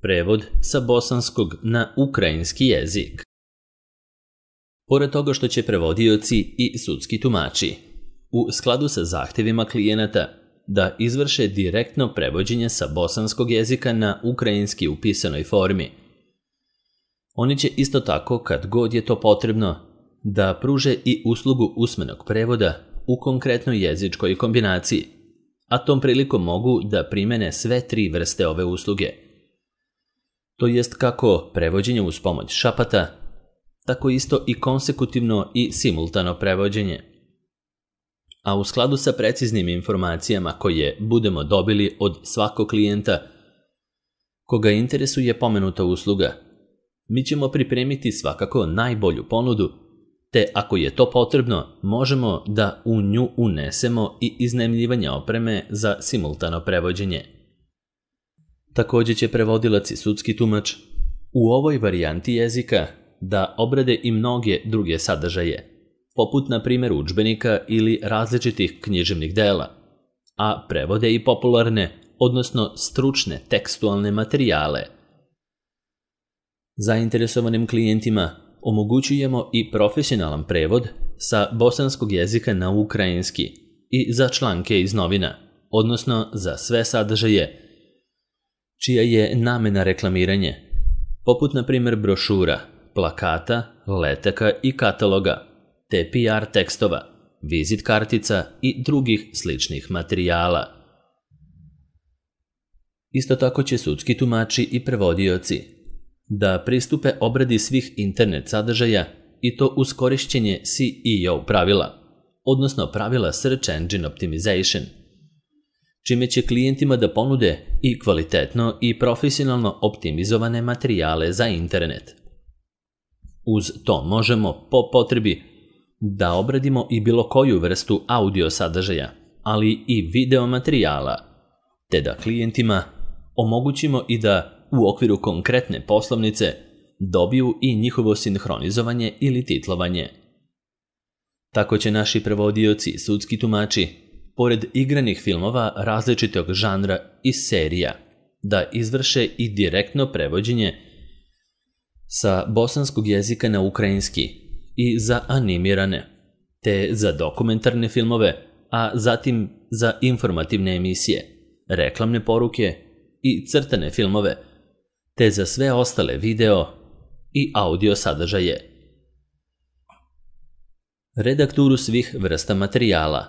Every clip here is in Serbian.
prevod sa bosanskog na ukrajinski jezik. Pored toga što će prevodioci i sudski tumači, u skladu sa zahtjevima klijenata, da izvrše direktno prevođenje sa bosanskog jezika na ukrajinski u pisanoj formi, oni će isto tako, kad god je to potrebno, da pruže i uslugu usmenog prevoda u konkretnoj jezičkoj kombinaciji, a tom prilikom mogu da primene sve 3 vrste ove usluge. To jest kako prevođenje uz pomoć šapata, tako isto i konsekutivno i simultano prevođenje. A u skladu sa preciznim informacijama koje budemo dobili od svakog klijenta koga interesuje pomenuta usluga, mi ćemo pripremiti svakako najbolju ponudu, te ako je to potrebno, možemo da u nju unesemo i iznajmljivanje opreme za simultano prevođenje. Također će prevodilac i sudski tumač u ovoj varijanti jezika da obrade i mnoge druge sadržaje, poput na primjer udžbenika ili različitih književnih dela, a prevode i popularne, odnosno stručne tekstualne materijale. Zainteresovanim klijentima omogućujemo i profesionalan prevod sa bosanskog jezika na ukrajinski i za članke iz novina, odnosno za sve sadržaje čija je namena reklamiranje, poput na primjer brošura, plakata, letaka i kataloga, te PR tekstova, vizit kartica i drugih sličnih materijala. Isto tako će sudski tumači i prevodioci da pristupe obradi svih internet sadržaja i to uz korišćenje SEO pravila, odnosno pravila Search Engine Optimization, čime će klijentima da ponude i kvalitetno i profesionalno optimizovane materijale za internet. Uz to možemo po potrebi da obradimo i bilo koju vrstu audio sadržaja, ali i video materijala, te da klijentima omogućimo i da u okviru konkretne poslovnice dobiju i njihovo sinhronizovanje ili titlovanje. Tako će naši prevodioci i sudski tumači, pored igranih filmova različitog žanra i serija, da izvrše i direktno prevođenje sa bosanskog jezika na ukrajinski i za animirane, te za dokumentarne filmove, a zatim za informativne emisije, reklamne poruke i crtane filmove, te za sve ostale video i audio sadržaje. Redakturu svih vrsta materijala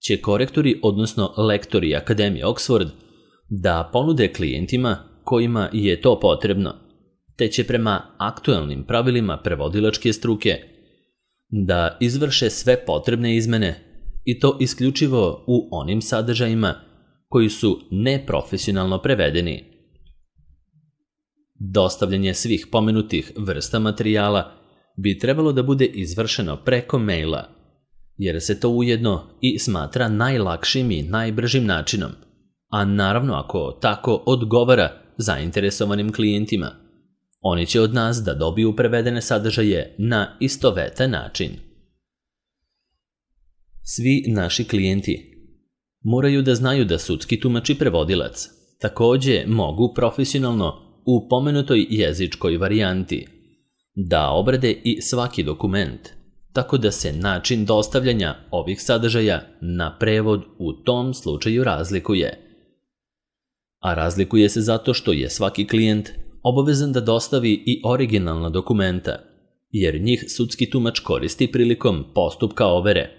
će korektori, odnosno lektori Akademije Oxford, da ponude klijentima kojima je to potrebno, te će prema aktuelnim pravilima prevodilačke struke da izvrše sve potrebne izmene i to isključivo u onim sadržajima koji su neprofesionalno prevedeni. Dostavljanje svih pomenutih vrsta materijala bi trebalo da bude izvršeno preko maila, jer se to ujedno i smatra najlakšim i najbržim načinom, a naravno ako tako odgovara zainteresovanim klijentima, oni će od nas da dobiju prevedene sadržaje na istovetan način. Svi naši klijenti moraju da znaju da sudski tumač i prevodilac također mogu profesionalno u pomenutoj jezičkoj varijanti da obrade i svaki dokument, tako da se način dostavljanja ovih sadržaja na prevod u tom slučaju razlikuje. A razlikuje se zato što je svaki klijent obavezan da dostavi i originalna dokumenta, jer njih sudski tumač koristi prilikom postupka overe.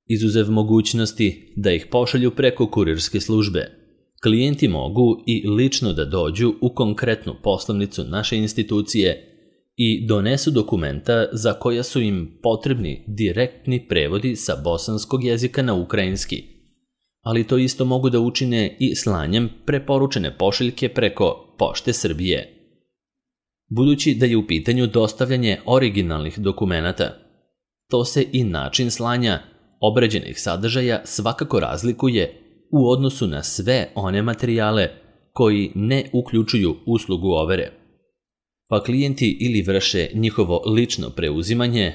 Izuzev mogućnosti da ih pošalju preko kurirske službe, klijenti mogu i lično da dođu u konkretnu poslovnicu naše institucije i donesu dokumenta za koja su im potrebni direktni prevodi sa bosanskog jezika na ukrajinski, ali to isto mogu da učine i slanjem preporučene pošiljke preko Pošte Srbije. Budući da je u pitanju dostavljanje originalnih dokumenata, to se i način slanja obrađenih sadržaja svakako razlikuje u odnosu na sve one materijale koji ne uključuju uslugu overe. Pa klijenti ili vrše njihovo lično preuzimanje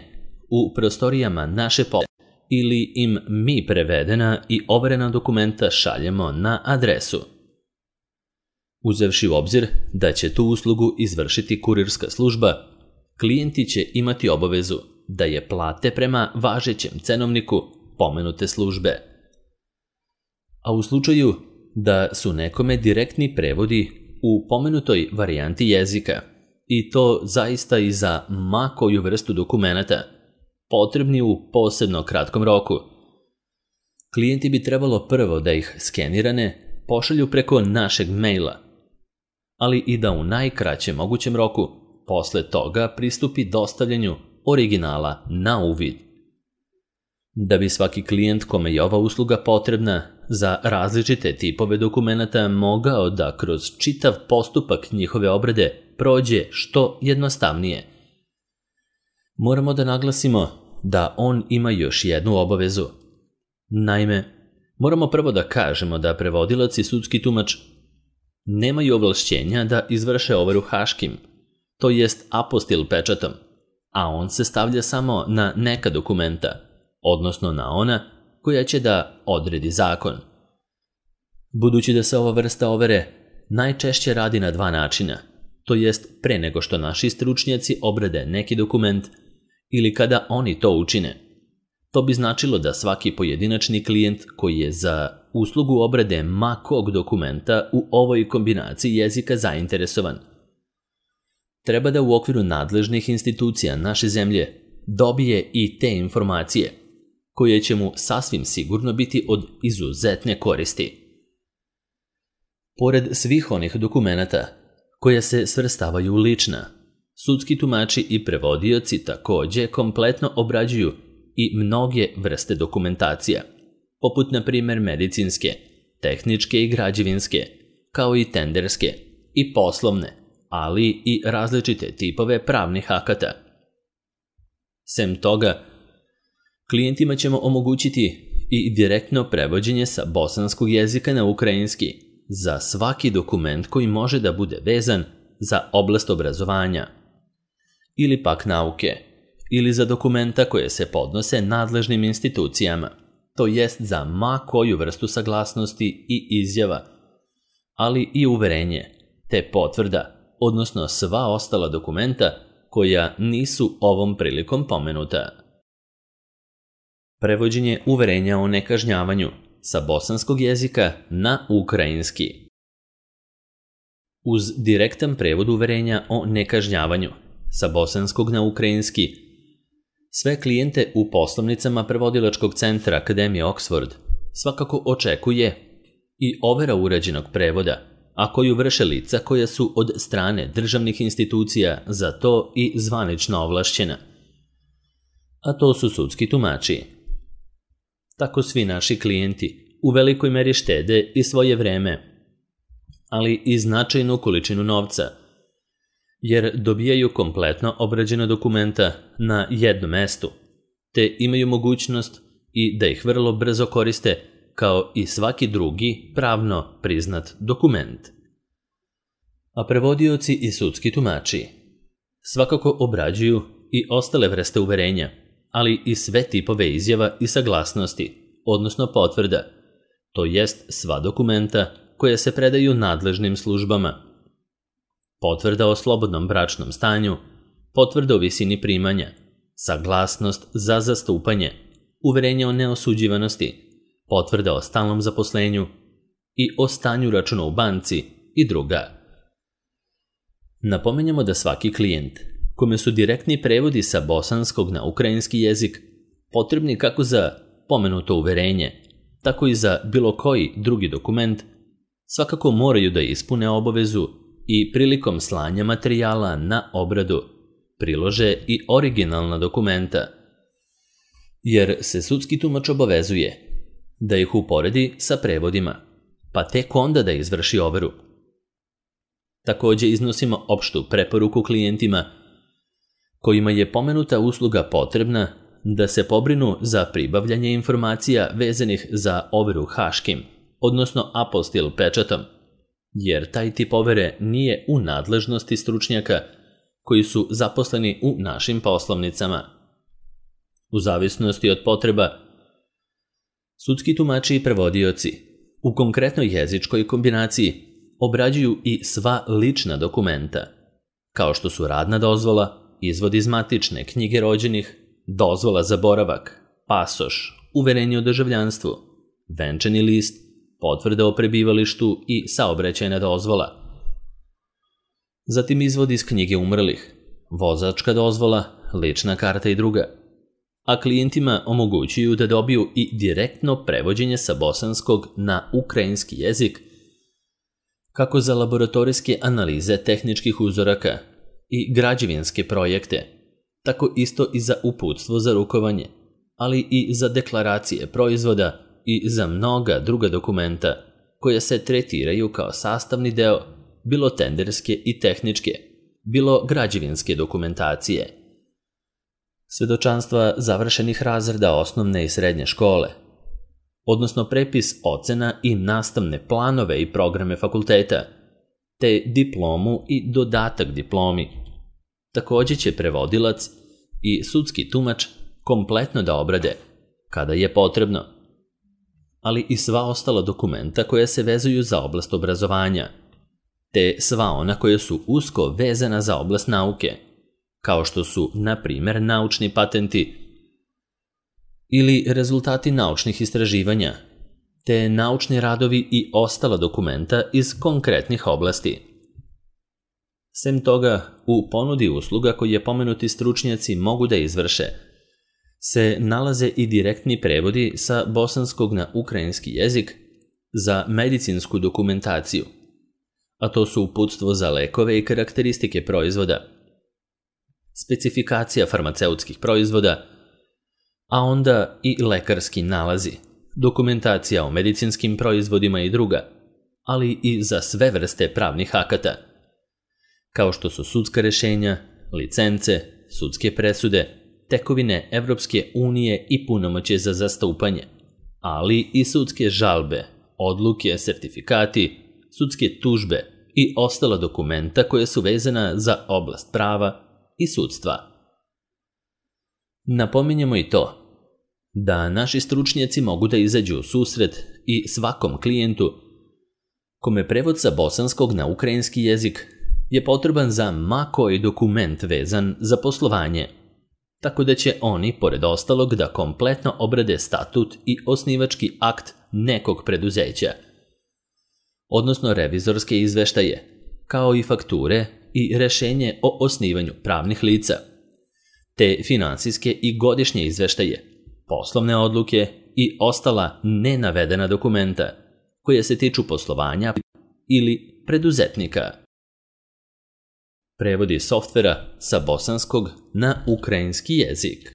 u prostorijama naše pošte ili im mi prevedena i overena dokumenta šaljemo na adresu. Uzevši u obzir da će tu uslugu izvršiti kurirska služba, klijenti će imati obavezu da je plate prema važećem cenovniku pomenute službe. A u slučaju da su nekome direktni prevodi u pomenutoj varijanti jezika, i to zaista i za ma koju vrstu dokumenata, potrebni u posebno kratkom roku, klijenti bi trebalo prvo da ih skenirane pošalju preko našeg maila, ali i da u najkraćem mogućem roku posle toga pristupi dostavljanju originala na uvid. Da bi svaki klijent kome je ova usluga potrebna za različite tipove dokumenata mogao da kroz čitav postupak njihove obrade prođe što jednostavnije, moramo da naglasimo da on ima još jednu obavezu. Naime, moramo prvo da kažemo da prevodilac i sudski tumač nemaju ovlašćenja da izvrše overu haškim, to jest apostil pečatom, a on se stavlja samo na neka dokumenta, odnosno na ona koja će da odredi zakon. Budući da se ova vrsta overe najčešće radi na dva načina, to jest pre nego što naši stručnjaci obrade neki dokument ili kada oni to učine. To bi značilo da svaki pojedinačni klijent koji je za uslugu obrade ma kog dokumenta u ovoj kombinaciji jezika zainteresovan, treba da u okviru nadležnih institucija naše zemlje dobije i te informacije, koje će mu sasvim sigurno biti od izuzetne koristi. Pored svih onih dokumenata koja se svrstavaju u lična, sudski tumači i prevodioci takođe kompletno obrađuju i mnoge vrste dokumentacija, poput na primjer medicinske, tehničke i građevinske, kao i tenderske i poslovne, ali i različite tipove pravnih akata. Sem toga, klijentima ćemo omogućiti i direktno prevođenje sa bosanskog jezika na ukrajinski za svaki dokument koji može da bude vezan za oblast obrazovanja ili pak nauke, ili za dokumenta koje se podnose nadležnim institucijama, to jest za ma koju vrstu saglasnosti i izjava, ali i uverenje, te potvrda, odnosno sva ostala dokumenta koja nisu ovom prilikom pomenuta. Prevođenje uverenja o nekažnjavanju sa bosanskog jezika na ukrajinski. Uz direktan prevod uverenja o nekažnjavanju sa bosanskog na ukrajinski, sve klijente u poslovnicama prevodilačkog centra Akademije Oxford svakako očekuje i overa urađenog prevoda, a koju vrše lica koja su od strane državnih institucija za to i zvanično ovlašćena. A to su sudski tumači. Tako svi naši klijenti u velikoj meri štede i svoje vreme, ali i značajnu količinu novca, jer dobijaju kompletno obrađena dokumenta na jednom mestu, te imaju mogućnost i da ih vrlo brzo koriste kao i svaki drugi pravno priznat dokument. A prevodioci i sudski tumači svakako obrađuju i ostale vrste uverenja, ali i sve tipove izjava i saglasnosti, odnosno potvrda, to jest sva dokumenta koja se predaju nadležnim službama. Potvrda o slobodnom bračnom stanju, potvrda o visini primanja, saglasnost za zastupanje, uverenje o neosuđivanosti, potvrda o stalnom zaposlenju i o stanju računa u banci i druga. Napomenjamo da svaki klijent, kome su direktni prevodi sa bosanskog na ukrajinski jezik potrebni kako za pomenuto uverenje, tako i za bilo koji drugi dokument, svakako moraju da ispune obavezu i prilikom slanja materijala na obradu prilože i originalna dokumenta, jer se sudski tumač obavezuje da ih uporedi sa prevodima, pa tek onda da izvrši overu. Takođe iznosimo opštu preporuku klijentima kojima je pomenuta usluga potrebna da se pobrinu za pribavljanje informacija vezanih za overu haškim, odnosno apostil pečatom, jer taj tip overe nije u nadležnosti stručnjaka koji su zaposleni u našim poslovnicama. U zavisnosti od potreba, sudski tumači i prevodioci u konkretnoj jezičkoj kombinaciji obrađuju i sva lična dokumenta, kao što su radna dozvola, izvod iz matične knjige rođenih, dozvola za boravak, pasoš, uverenje o državljanstvu, venčani list, potvrda o prebivalištu i saobraćajna dozvola. Zatim izvod iz knjige umrlih, vozačka dozvola, lična karta i druga. A klijentima omogućuju da dobiju i direktno prevođenje sa bosanskog na ukrajinski jezik, kako za laboratorijske analize tehničkih uzoraka i građevinske projekte, tako isto i za uputstvo za rukovanje, ali i za deklaracije proizvoda i za mnoga druga dokumenta koja se tretiraju kao sastavni deo bilo tenderske i tehničke, bilo građevinske dokumentacije. Svedočanstva završenih razreda osnovne i srednje škole, odnosno prepis ocena i nastavne planove i programe fakulteta, te diplomu i dodatak diplomi. Također će prevodilac i sudski tumač kompletno da obrade, kada je potrebno, ali i sva ostala dokumenta koja se vezuju za oblast obrazovanja, te sva ona koja su usko vezana za oblast nauke, kao što su, na primjer, naučni patenti ili rezultati naučnih istraživanja, te naučni radovi i ostala dokumenta iz konkretnih oblasti. Sem toga, u ponudi usluga koje pomenuti stručnjaci mogu da izvrše, se nalaze i direktni prevodi sa bosanskog na ukrajinski jezik za medicinsku dokumentaciju, a to su uputstvo za lekove i karakteristike proizvoda, specifikacija farmaceutskih proizvoda, a onda i lekarski nalazi, dokumentacija o medicinskim proizvodima i druga, ali i za sve vrste pravnih akata, kao što su sudska rešenja, licence, sudske presude, tekovine Evropske unije i punomoćje za zastupanje, ali i sudske žalbe, odluke, sertifikati, sudske tužbe i ostala dokumenta koja su vezana za oblast prava i sudstva. Napominjemo i to da naši stručnjaci mogu da izađu u susret i svakom klijentu kome prevod sa bosanskog na ukrajinski jezik je potreban za ma koji dokument vezan za poslovanje, tako da će oni, pored ostalog, da kompletno obrade statut i osnivački akt nekog preduzeća, odnosno revizorske izveštaje, kao i fakture i rešenje o osnivanju pravnih lica, te finansijske i godišnje izveštaje, poslovne odluke i ostala nenavedena dokumenta koje se tiču poslovanja ili preduzetnika. Prevodi softvera sa bosanskog na ukrajinski jezik.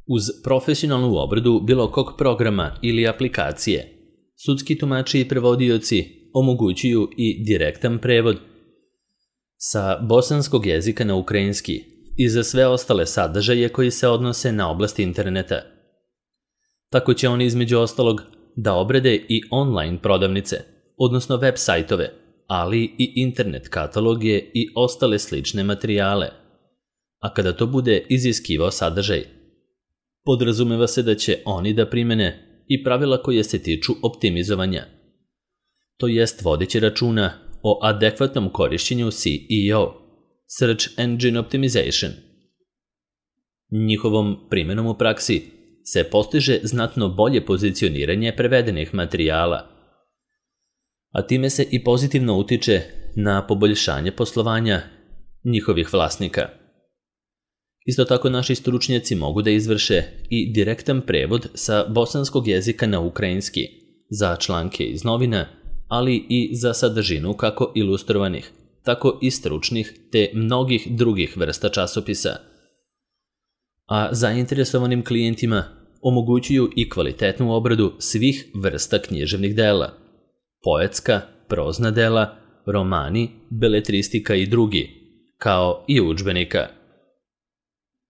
Uz profesionalnu obradu bilo kog programa ili aplikacije, sudski tumači i prevodioci omogućuju i direktan prevod sa bosanskog jezika na ukrajinski i za sve ostale sadržaje koji se odnose na oblast interneta. Tako će oni između ostalog da obrade i online prodavnice, odnosno web sajtove, ali i internet kataloge i ostale slične materijale. A kada to bude iziskivao sadržaj, podrazumeva se da će oni da primene i pravila koje se tiču optimizovanja, to jest vodeći računa o adekvatnom korišćenju SEO, Search Engine Optimization. Njihovom primenom u praksi se postiže znatno bolje pozicioniranje prevedenih materijala, a time se i pozitivno utiče na poboljšanje poslovanja njihovih vlasnika. Isto tako naši stručnjaci mogu da izvrše i direktan prevod sa bosanskog jezika na ukrajinski za članke iz novina, ali i za sadržinu kako ilustrovanih, tako i stručnih te mnogih drugih vrsta časopisa. A zainteresovanim klijentima omogućuju i kvalitetnu obradu svih vrsta književnih dela, poetska, prozna dela, romani, beletristika i drugi, kao i udžbenika.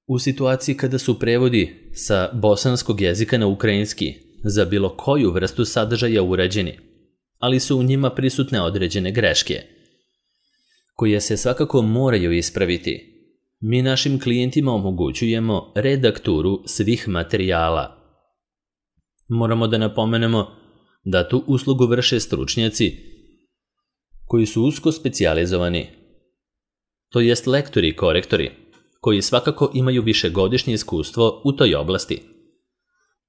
U situaciji kada su prevodi sa bosanskog jezika na ukrajinski za bilo koju vrstu sadržaja urađeni, ali su u njima prisutne određene greške, koje se svakako moraju ispraviti, mi našim klijentima omogućujemo redakturu svih materijala. Moramo da napomenemo da tu uslugu vrše stručnjaci koji su usko specijalizovani, to jest lektori i korektori, koji svakako imaju višegodišnje iskustvo u toj oblasti.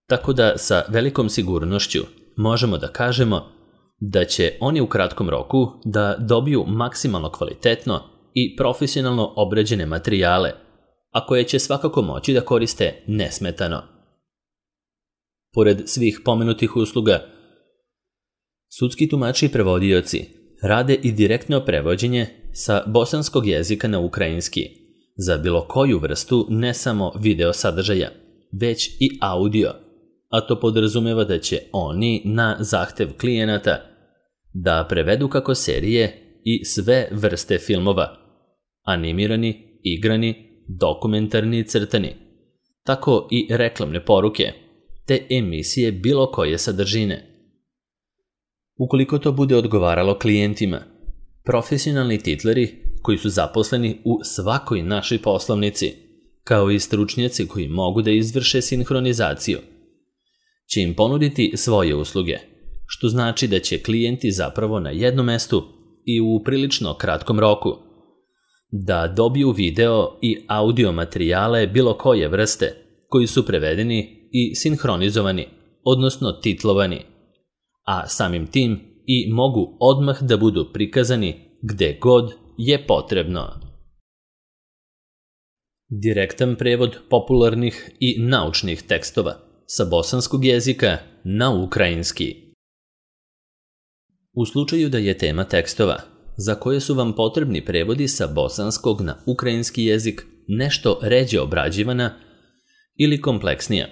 Tako da sa velikom sigurnošću možemo da kažemo da će oni u kratkom roku da dobiju maksimalno kvalitetno i profesionalno obrađene materijale, a koje će svakako moći da koriste nesmetano. Pored svih pomenutih usluga, sudski tumači i prevodioci rade i direktno prevođenje sa bosanskog jezika na ukrajinski za bilo koju vrstu ne samo video sadržaja, već i audio, a to podrazumeva da će oni na zahtev klijenata da prevedu kako serije i sve vrste filmova, animirani, igrani, dokumentarni i crtani, tako i reklamne poruke, te emisije bilo koje sadržine. Ukoliko to bude odgovaralo klijentima, profesionalni titleri koji su zaposleni u svakoj našoj poslovnici, kao i stručnjaci koji mogu da izvrše sinhronizaciju, će im ponuditi svoje usluge, što znači da će klijenti zapravo na jednom mestu i u prilično kratkom roku da dobiju video i audio materijale bilo koje vrste koji su prevedeni i sinhronizovani, odnosno titlovani, a samim tim i mogu odmah da budu prikazani gde god je potrebno. Direktan prevod popularnih i naučnih tekstova sa bosanskog jezika na ukrajinski. U slučaju da je tema tekstova za koje su vam potrebni prevodi sa bosanskog na ukrajinski jezik nešto ređe obrađivana ili kompleksnija,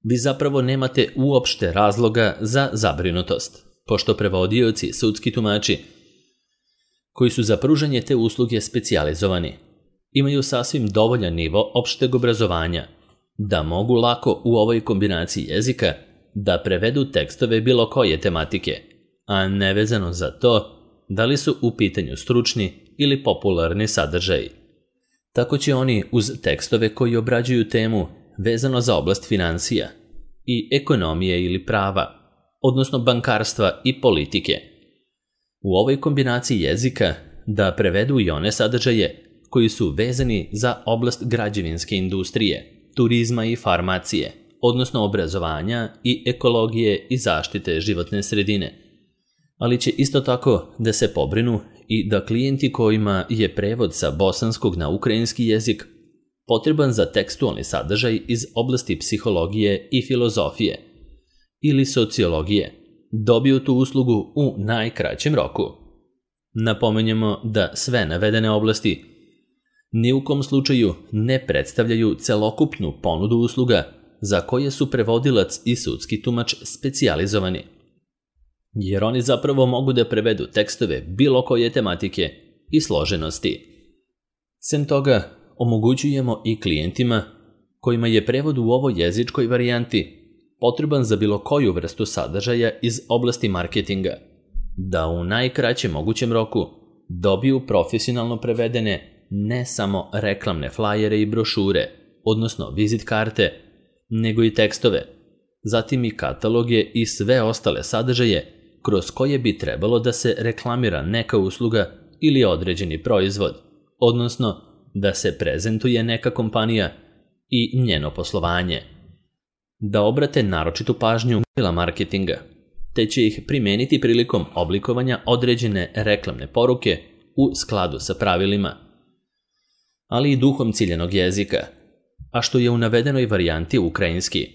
vi zapravo nemate uopšte razloga za zabrinutost, pošto prevodioci, sudski tumači, koji su za pružanje te usluge specijalizovani, imaju sasvim dovoljan nivo opšteg obrazovanja da mogu lako u ovoj kombinaciji jezika da prevedu tekstove bilo koje tematike, a nevezano za to da li su u pitanju stručni ili popularni sadržaji. Tako će oni uz tekstove koji obrađuju temu vezano za oblast finansija i ekonomije ili prava, odnosno bankarstva i politike, u ovoj kombinaciji jezika da prevedu i one sadržaje koji su vezani za oblast građevinske industrije, turizma i farmacije, odnosno obrazovanja i ekologije i zaštite životne sredine, ali će isto tako da se pobrinu i da klijenti kojima je prevod sa bosanskog na ukrajinski jezik potreban za tekstualni sadržaj iz oblasti psihologije i filozofije ili sociologije dobiju tu uslugu u najkraćem roku. Napomenjemo da sve navedene oblasti ni u kom slučaju ne predstavljaju celokupnu ponudu usluga za koje su prevodilac i sudski tumač specijalizovani, jer oni zapravo mogu da prevedu tekstove bilo koje tematike i složenosti. Sem toga, omogućujemo i klijentima kojima je prevod u ovoj jezičkoj varijanti potreban za bilo koju vrstu sadržaja iz oblasti marketinga, da u najkraćem mogućem roku dobiju profesionalno prevedene ne samo reklamne flajere i brošure, odnosno vizit karte, nego i tekstove, zatim i kataloge i sve ostale sadržaje kroz koje bi trebalo da se reklamira neka usluga ili određeni proizvod, odnosno da se prezentuje neka kompanija i njeno poslovanje. Da obrate naročitu pažnju pravila marketinga, te će ih primeniti prilikom oblikovanja određene reklamne poruke u skladu sa pravilima, ali i duhom ciljanog jezika, a što je u navedenoj varijanti ukrajinski.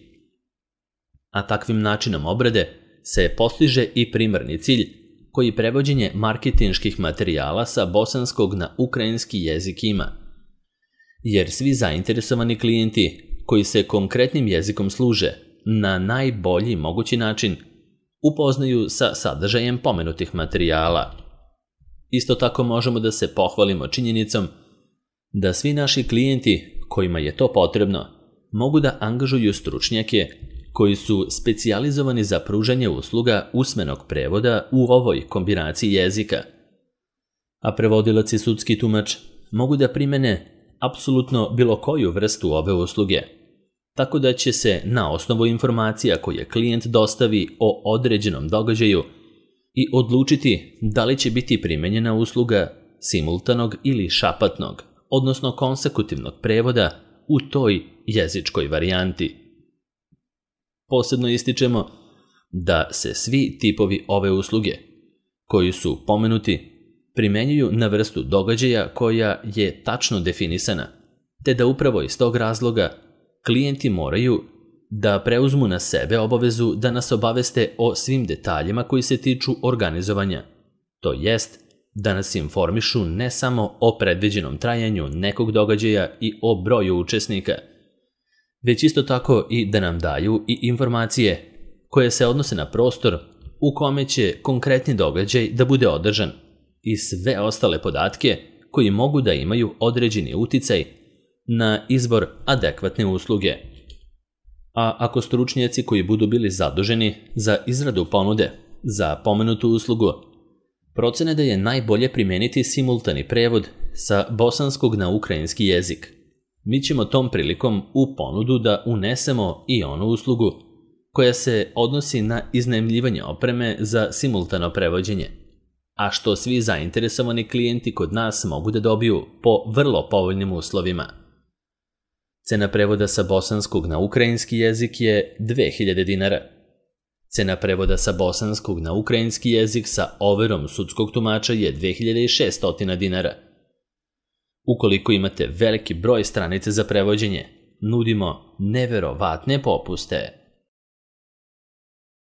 A takvim načinom obrade se postiže i primarni cilj koji prevođenje marketinških materijala sa bosanskog na ukrajinski jezik ima, jer svi zainteresovani klijenti koji se konkretnim jezikom služe na najbolji mogući način upoznaju sa sadržajem pomenutih materijala. Isto tako možemo da se pohvalimo činjenicom da svi naši klijenti kojima je to potrebno mogu da angažuju stručnjake koji su specijalizovani za pružanje usluga usmenog prevoda u ovoj kombinaciji jezika. A prevodilac i sudski tumač mogu da primene apsolutno bilo koju vrstu ove usluge, tako da će se na osnovu informacija koje klijent dostavi o određenom događaju i odlučiti da li će biti primenjena usluga simultanog ili šapatnog, odnosno konsekutivnog prevoda u toj jezičkoj varijanti. Posebno ističemo da se svi tipovi ove usluge koji su pomenuti primenjuju na vrstu događaja koja je tačno definisana, te da upravo iz tog razloga klijenti moraju da preuzmu na sebe obavezu da nas obaveste o svim detaljima koji se tiču organizovanja, to jest da nas informišu ne samo o predviđenom trajanju nekog događaja i o broju učesnika, već isto tako i da nam daju i informacije koje se odnose na prostor u kome će konkretni događaj da bude održan i sve ostale podatke koji mogu da imaju određeni uticaj na izbor adekvatne usluge. A ako stručnjaci koji budu bili zaduženi za izradu ponude za pomenutu uslugu procene da je najbolje primeniti simultani prevod sa bosanskog na ukrajinski jezik, mi ćemo tom prilikom u ponudu da unesemo i onu uslugu koja se odnosi na iznajmljivanje opreme za simultano prevođenje, a što svi zainteresovani klijenti kod nas mogu da dobiju po vrlo povoljnim uslovima. Cena prevoda sa bosanskog na ukrajinski jezik je 2000 dinara. Cena prevoda sa bosanskog na ukrajinski jezik sa overom sudskog tumača je 2600 dinara. Ukoliko imate veliki broj stranica za prevođenje, nudimo neverovatne popuste.